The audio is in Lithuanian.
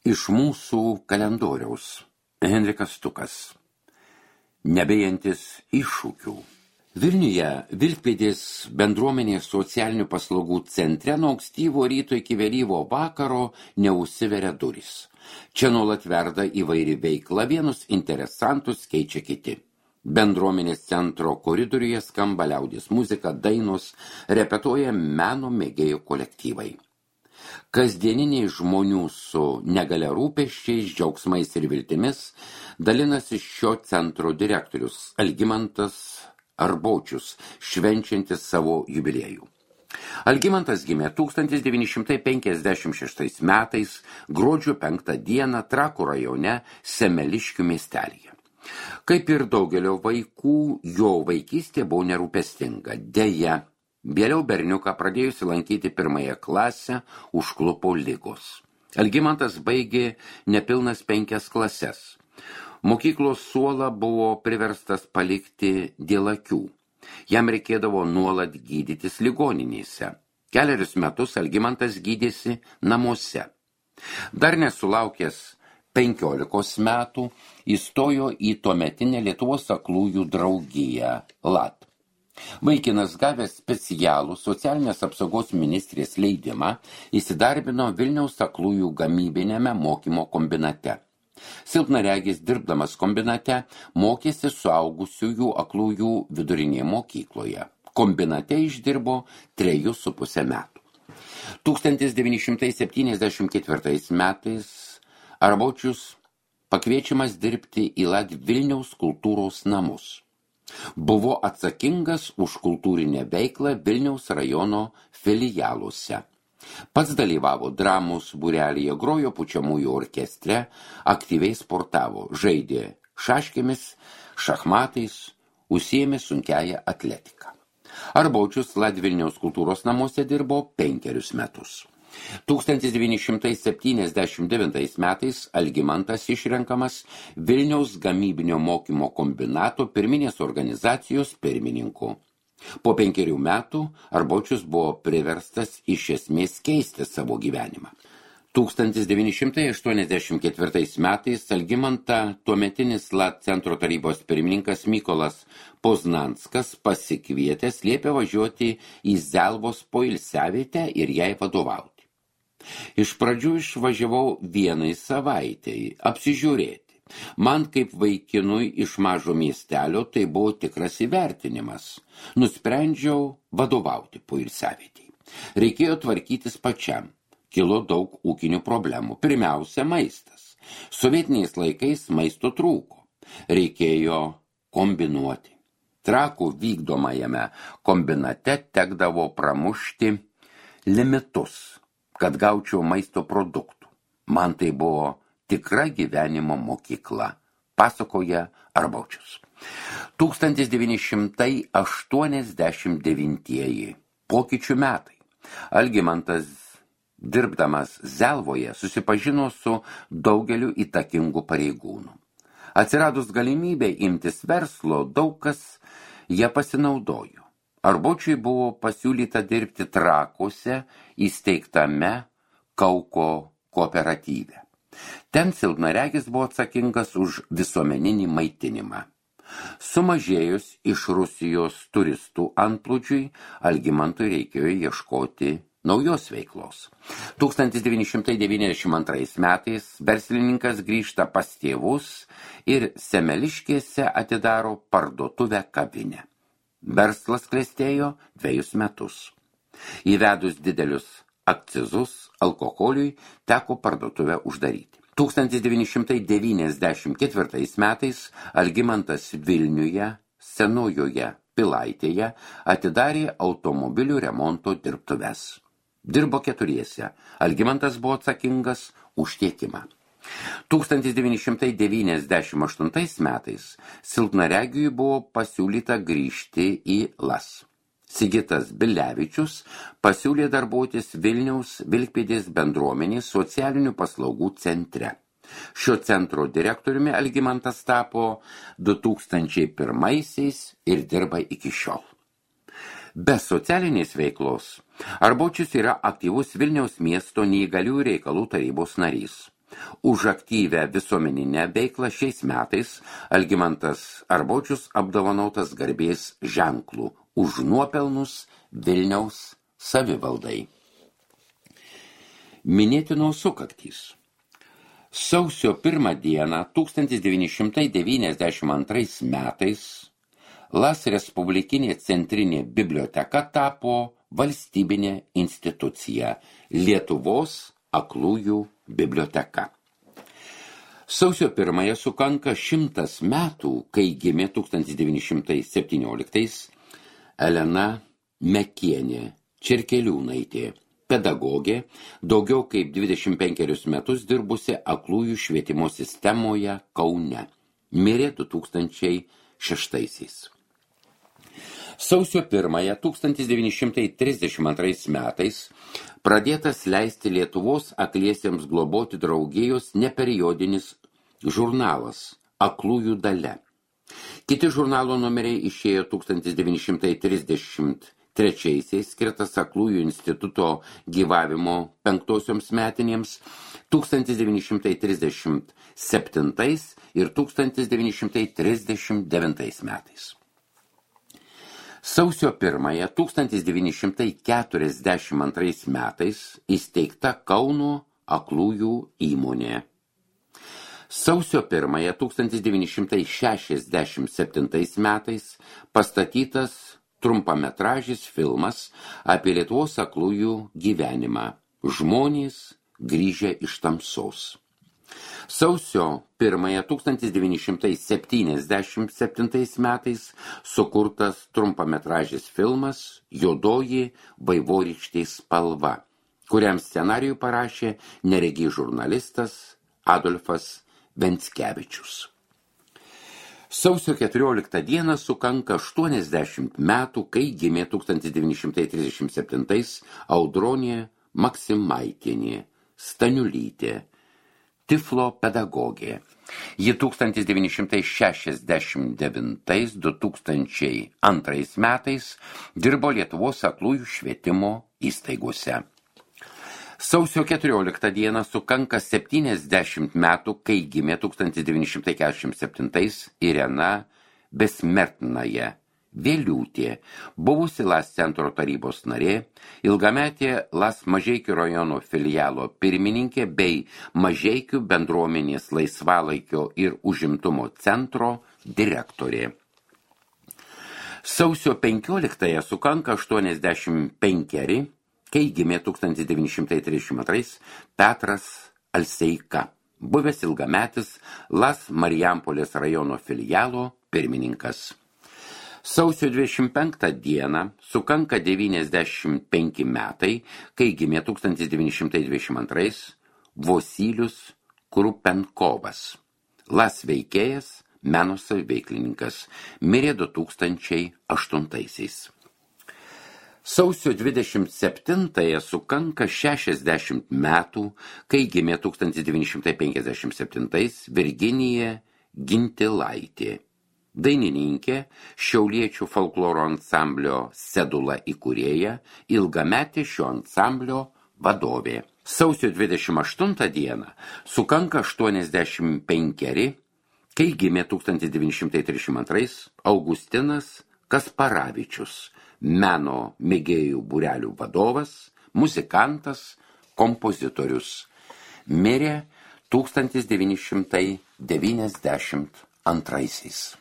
Iš mūsų kalendoriaus Henrikas Stukas. Nebijantis iššūkių. Vilniuje Vilkpėdės bendruomenės socialinių paslaugų centre nuo ankstyvo ryto iki vėlyvo vakaro neužsiveria durys. Čia nuolat verda įvairi veikla, vienus interesantus keičia kiti. Bendruomenės centro koridoriuje skamba liaudies muzika, dainos, repetuoja meno mėgėjų kolektyvai. Kasdieniniai žmonių su negalia rūpesčiais, džiaugsmais ir viltimis dalinasi šio centro direktorius Algimantas Arbočius, švenčiantis savo jubiliejų. Algimantas gimė 1956 metais, gruodžio 5 dieną Trakų rajone Semeliškių miestelyje. Kaip ir daugelio vaikų, jo vaikystė buvo nerūpestinga. Deja, vėliau berniuką pradėjusi lankyti 1 klasę užklupo ligos. Algimantas baigė nepilnas 5 klases. Mokyklos suolą buvo priverstas palikti dėl akių. Jam reikėdavo nuolat gydytis ligoninėse. 4 metus Algimantas gydėsi namuose. Dar nesulaukęs 15 metų įstojo į tuometinę Lietuvos aklųjų draugiją LAT. Vaikinas gavęs specialų socialinės apsaugos ministrės leidimą įsidarbino Vilniaus aklųjų gamybinėme mokymo kombinate. Silpnaregis dirbdamas kombinate mokėsi suaugusiųjų aklųjų vidurinėje mokykloje. Kombinate išdirbo 3,5 metų. 1974 metais Arbočius pakviečiamas dirbti į LAT Vilniaus kultūros namus. Buvo atsakingas už kultūrinę veiklą Vilniaus rajono filialuose. Pats dalyvavo dramos būrelyje, grojo pučiamųjų orkestre, aktyviai sportavo, žaidė šaškėmis, šachmatais, užsiėmė sunkiąją atletiką. Arbočius LAT Vilniaus kultūros namuose dirbo 5 metus. 1979 metais Algimantas išrenkamas Vilniaus gamybinio mokymo kombinato pirminės organizacijos pirmininku. Po 5 metų Arbočius buvo priverstas iš esmės keisti savo gyvenimą. 1984 metais Algimantą tuometinis LAT centro tarybos pirmininkas Mykolas Poznanskas pasikvietęs liepė važiuoti į Zelvos poilsiavietę ir jai vadovauti. Iš pradžių išvažiavau 1 savaitei apsižiūrėti. Man kaip vaikinui iš mažo miestelio tai buvo tikras įvertinimas. Nusprendžiau vadovauti poilsiavietei. Reikėjo tvarkytis pačiam. Kilo daug ūkinių problemų. Pirmiausia, maistas. Sovietiniais laikais maisto trūko. Reikėjo kombinuoti. Trakų vykdomajame kombinate tekdavo pramušti limitus, kad gaučiau maisto produktų. Man tai buvo tikra gyvenimo mokykla, pasakoja Arbočius. 1989 pokyčių metai. Algimantas, dirbdamas Zelvoje, susipažino su daugeliu įtakingų pareigūnų. Atsiradus galimybė imtis verslo, daug kas ją pasinaudojo. Arbočiui buvo pasiūlyta dirbti Trakuose įsteigtame Kauko kooperatyve. Ten silpnaregis buvo atsakingas už visuomeninį maitinimą. Sumažėjus iš Rusijos turistų antplūdžiui, Algimantui reikėjo ieškoti naujos veiklos. 1992 metais verslininkas grįžta pas tėvus ir Semeliškėse atidaro parduotuvę kavinę. Verslas klestėjo 2 metus. Įvedus didelius akcizus alkoholiui teko parduotuvę uždaryti. 1994 metais Algimantas Vilniuje, Senojoje Pilaitėje atidarė automobilių remonto dirbtuves. Dirbo 4. Algimantas buvo atsakingas už tiekimą. 1998 metais silpnaregiui buvo pasiūlyta grįžti į LAS. Sigitas Bilevičius pasiūlė darbuotis Vilniaus Vilkpėdės bendruomenės socialinių paslaugų centre. Šio centro direktoriumi Algimantas tapo 2001 ir dirba iki šiol. Be socialinės veiklos Arbočius yra aktyvus Vilniaus miesto neįgaliųjų reikalų tarybos narys. Už aktyvę visuomeninę veiklą šiais metais Algimantas Arbočius apdovanotas garbės ženklų už nuopelnus Vilniaus savivaldai. Minėtinos sukaktys. Sausio 1 dieną 1992 metais Las Respublikinė centrinė biblioteka tapo valstybinė institucija Lietuvos aklųjų biblioteka. Sausio 1 sukanka 100 metų, kai gimė 1917 Elena Mekienė Čerkeliūnaitė, pedagogė, daugiau kaip 25 metus dirbusi aklųjų švietimo sistemoje Kaune. Mirė 2006. Sausio 1 1932 metais pradėtas leisti Lietuvos akliesiems globoti draugijos neperiodinis žurnalas Aklųjų dalia. Kiti žurnalo numeriai išėjo 1933 skirtas Aklųjų instituto gyvavimo 5 metinėms, 1937 ir 1939 metais. Sausio 1 1942 metais įsteigta Kauno aklųjų įmonė. Sausio 1 1967 metais pastatytas trumpametražis filmas apie Lietuvos aklųjų gyvenimą Žmonės grįžę iš tamsos. Sausio 1 1977 metais sukurtas trumpametražis filmas Juodoji vaivorykštės spalva, kuriam scenarijų parašė neregys žurnalistas Adolfas Venckevičius. Sausio 14 dieną sukanka 80 metų, kai gimė 1937 Audronė Maksimaitienė Staniulytė, Tiflo pedagogė. Ji 1969–2002 metais dirbo Lietuvos aklųjų švietimo įstaigose. Sausio 14 dieną sukanka 70 metų, kai gimė 1947 Irena Besmertnaja Vėliūtė, buvusi Las centro tarybos narė, ilgametė Las Mažeikių rajono filialo pirmininkė bei Mažeikių bendruomenės laisvalaikio ir užimtumo centro direktorė. Sausio 15 sukanka 85, kai gimė 1932 Petras Alseika, buvęs ilgametis Las Marijampolės rajono filialo pirmininkas. Sausio 25 dieną sukanka 95 metai, kai gimė 1922 Vosylius Krupenkovas, Las veikėjas, meno saviveiklininkas, mirė 2008. Sausio 27 sukanka 60 metų, kai gimė 1957 Virginija Gintilaitė, dainininkė, šiauliečių folkloro ansamblio Sedula įkūrėja, ilgametė šio ansamblio vadovė. Sausio 28 dieną sukanka 85, kai gimė 1932 Augustinas Kasparavičius, meno mėgėjų būrelių vadovas, muzikantas, kompozitorius. Mirė 1992.